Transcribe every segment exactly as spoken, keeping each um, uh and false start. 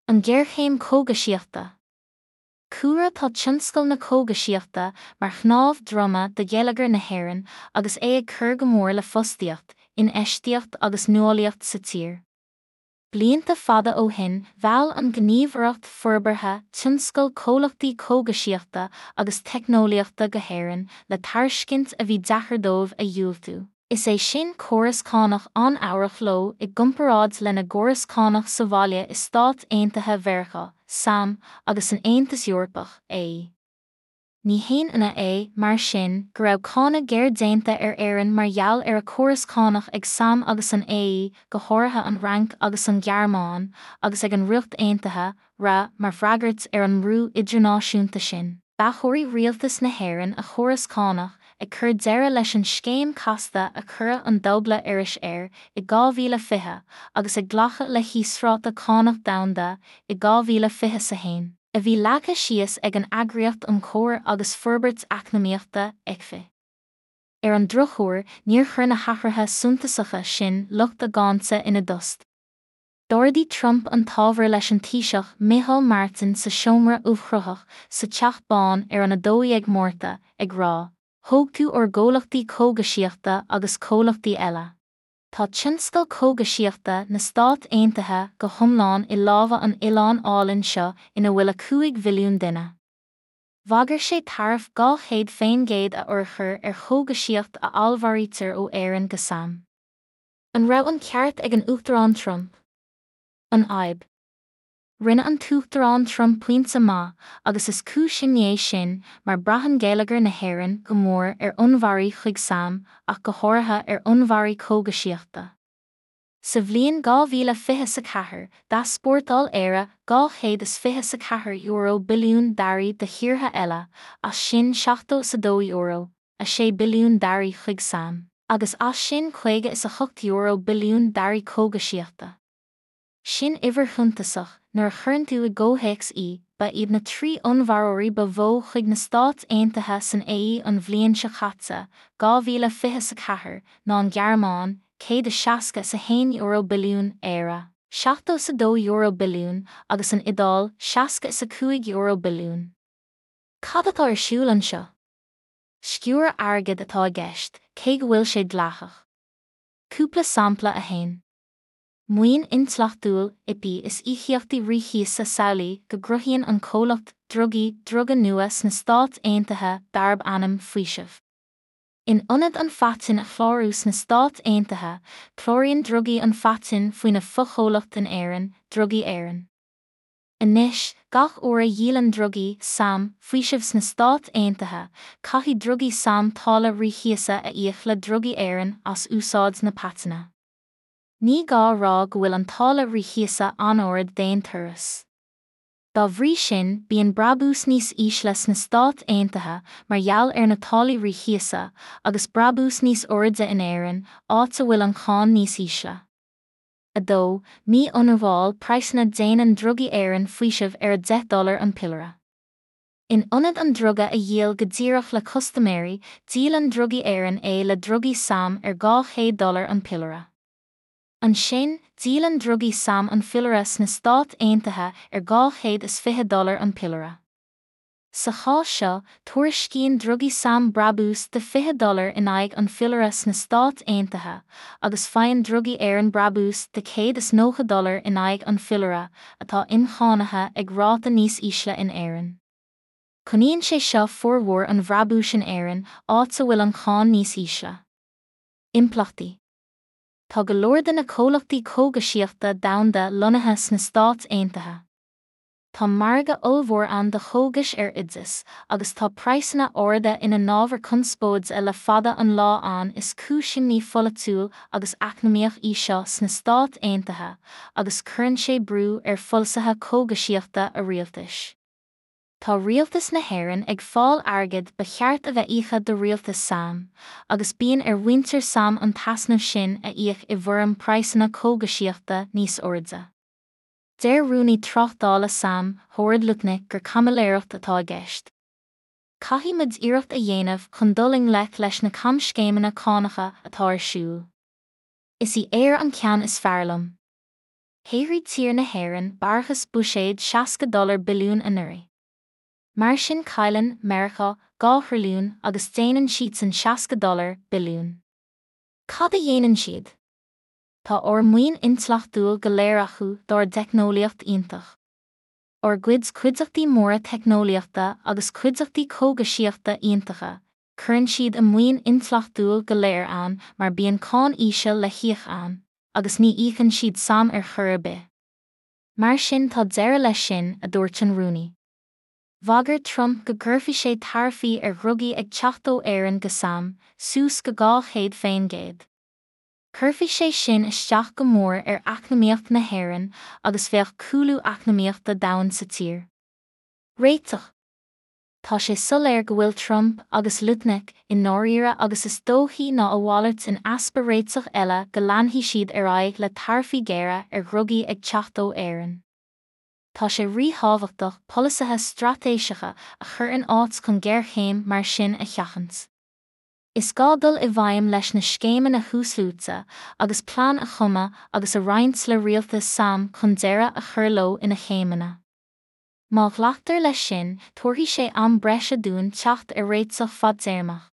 An ghéarchéim cógaisíochta. Cúlra Tá tionscal na cógaisíochta mar chnámh droma do gheilleagar na hÉireann agus é ag cur go mór le fostaíocht, infheistíocht agus nuálaíocht sa tír. Blianta fada ó shin, mheall an Ghníomhaireacht Forbartha Tionscail comhlachtaí cógaisíochta agus teicneolaíochta go hÉirinn le tairiscint a bhí deacair dóibh a dhiúltú, is é sin córas cánach an-fhabhrach leo i gcomparáid lena gcóras cánach sa bhaile i Stáit Aontaithe Mheiriceá, SAM, agus san Aontas Eorpach, AE. Ní haon ionadh é, mar sin, go raibh cáineadh géar déanta ar Éirinn mar gheall ar a córas cánach ag SAM agus an AE, go háirithe an Fhrainc agus an Ghearmáin, agus ag an Ríocht Aontaithe, RA, mar fhreagairt ar an mbrú idirnáisiúnta sin. D'athchóirigh rialtas na hÉireann a chóras cánach, ag cur deireadh leis an scéim casta a cuireadh an Dúbla Irish air i dhá mhíle fiche agus ag glacadh le híosráta cánach domhanda i dhá mhíle fiche a haon, a bhí leagtha síos ag an Eagraíocht um Chomhar agus Forbairt Eacnamaíochta, Eicfi. Ar an drochuair, níor chuir na hathruithe suntasacha sin lucht a gcáinte ina dtost. D'ardaigh Trump an t-ábhar leis an Taoiseach Micheál Martin sa seomra ubhchruthach sa Teach Bán ar an a dó dhéag Márta, ag rá, Thóg tú ár gcomhlachtaí cógaisíochta agus comhlachtaí eile. Tá tionscal cógaisíochta na Stát Aontaithe go hiomlán i lámha an oileáin álainn seo ina bhfuil a cúig mhilliún duine. Bhagair sé taraif dhá chéad faoin gcéad a fhorchur ar chógaisíocht a allmhairítear ó Éirinn go SAM. An raibh an ceart ag an Uachtarán Trump? An fhadhb. Rinne an tUachtarán Trump pointe maith agus is cúis imní é sin mar braitheann geilleagar na hÉireann go mór ar onnmhairí chuig SAM ach go háirithe ar onnmhairí cógaisíochta. Sa bhliain dhá mhíle fiche a ceathair, d'easpórtáil Éire dhá chéad is fiche a ceathair euro billiún d'earraí do thíortha eile, as sin seachtó is a dó euro, a sé billiún d'earraí chuig SAM, agus as sin caoga is a hocht euro billiún d'earraí cógaisíochta. Sin uimhir shuntasach nuair a chuireann tú i gcomhthéacs í, ba iad na trí onnmhaireoirí ba mhó chuig na Stáit Aontaithe san AE an bhliain seo caite, dhá mhíle fiche a ceathair, ná an Ghearmáin, céad is seasca is a haon euro billiún, Éire, seachtó is a dó euro billiún, agus an Iodáil, seasca is a cúig euro billiún. Cad atá ar siúl anseo? Sciúradh airgid atá i gceist, cé go bhfuil sé dleathach. Cúpla sampla a haon. Maoin intleachtúil, IP is íocaíochtaí ríchíosa Samhlaigh go gcruthaíonn an comhlacht drugaí druga nua sna Stáit Aontaithe darb ainm Faoiseamh. In ionad an phaitinn a chlárú sna Stáit Aontaithe, cláraíonn drugaí an phaitinn faoina fochomhlacht in Éirinn, Drugaí Éireann. Anois, gach uair a dhíolann drugaí SAM faoiseamh sna Stáit Aontaithe, caithfidh drugaí SAM táille ríchíosa a íoc le Drugaí Éireann as úsáid na paitinne. Ní gá a rá go bhfuil an táille ríchíosa an-ard d'aon turas. Dá bhrí sin, bíonn brabús níos ísle sna Stáit Aontaithe mar gheall ar na táillí ríchíosa, agus brabús níos airde in Éirinn, áit a bhfuil an cháin níos ísle. a dó. Mí-ionramháil praghsanna Déanann Drugaí Éireann faoiseamh ar a deich dollar an piollaire. In ionad an druga a dhíol go díreach le custaiméirí, díolann Drugaí Éireann é le drugaí SAM ar dhá chéad dollar an piollaire. Ansin, díolann drugaí SAM an piollaire sna Stáit Aontaithe ar dhá chéad is fiche dollar an piollaire. Sa chás seo, tuairiscíonn drugaí SAM brabús de fiche dollar in aghaidh an phiollaire sna Stáit Aontaithe, agus faigheann drugaí Éireann brabús de céad is nócha dollar in aghaidh an phiollaire, atá incháinithe ag ráta níos ísle in Éirinn. Coinníonn sé seo formhór an bhrabúis in Éirinn, áit a bhfuil an cháin níos ísle. Impleachtaí. Tá go leor de na comhlachtaí cógaisíochta domhanda lonnaithe sna Stáit Aontaithe. Tá margadh ollmhór ann do chógais ar oideas, agus tá praghsanna arda ina n-ábhar conspóide le fada an lá ann Is cúis imní pholaitiúil agus eacnamaíoch í seo sna Stáit Aontaithe, agus cuireann sé brú ar pholasaithe cógaisíochta a rialtais. Tá rialtas na hÉireann ag fáil airgid ba cheart a bheith íoctha do rialtas SAM, agus bíonn ar mhuintir SAM an t-easnamh sin a íoc i bhfoirm praghsanna cógaisíochta níos airde. Deir rúnaí tráchtála SAM, Howard Lutnick gur caimiléireacht atá i gceist. Caithfidh muid iarracht a dhéanamh chun dul i ngleic leis na camscéimeanna cánacha atá ar siúl. Is í Éire an ceann is fearr liom. Shaothraigh tír na hÉireann barrachas buiséid seasca dollar billiún anuraidh. Mar sin cailleann Meiriceá dhá thrilliún agus déanann siadsan seasca dollar billiún. Cad a dhéanann siad? Tá ár maoin intleachtúil go léir acu dár dteicneolaíocht iontach. Ár gcuid cuideachtaí móra teicneolaíochta agus cuideachtaí cógaisíochta iontacha, cuireann siad a maoin intleachtúil go léir ann mar bíonn cáin íseal le híoc ann, agus ní íocann siad SAM ar chor ar bith. Mar sin tá deireadh leis sin, a dúirt an rúnaí. Bhagair Trump go gcuirfeadh sé taraifí ar dhrugaí ag teacht ó Éirinn go SAM, suas go dhá chéad faoin gcéad. Chuirfeadh sé sin isteach go mór ar eacnamaíocht na hÉireann agus bheadh cúlú eacnamaíochta domhain sa tír. Réiteach Tá sé soiléir go bhfuil Trump agus Lutnick i ndáiríre agus is dóichí ná a mhalairt in easpa réiteach eile go leanfaidh siad ar aghaidh le taraifí géara ar dhrugaí ag teacht ó Éirinn. Tá sé ríthábhachtach polasaithe straitéiseacha a chur in áit chun géarchéim mar sin a sheachaint. Is gá dul i bhfeidhm leis na scéimeanna thuasluaite agus plean a chumadh agus a roinnt le rialtas SAM chun deireadh a chur leo ina chéimeanna. Má ghlactar leis sin, tabharfaidh sé am breise dúinn teacht ar réiteach fadtéarmach.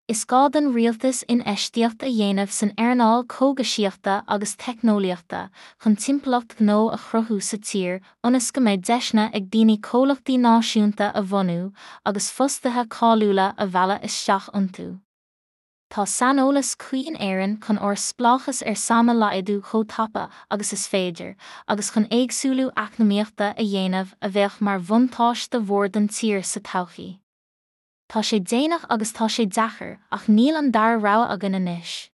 Is gá don rialtas infheistíocht a dhéanamh san earnáil cógaisíochta agus teicneolaíochta chun timpeallacht ghnó a chruthú sa tír ionas go mbeidh deiseanna ag daoine comhlachtaí náisiúnta a bhunú agus fostaithe cáiliúla a mhealladh isteach iontu. Tá saineolas cuí in Éirinn chun ár spleáchas ar SAM a laghdú chomh tapa agus is féidir, agus chun éagsúlú eacnamaíochta a dhéanamh a bheadh mar bhuntáiste mhór don tír sa todhchaí. Tá sé déanach agus tá sé deacair ach níl an dara rogha againn anois.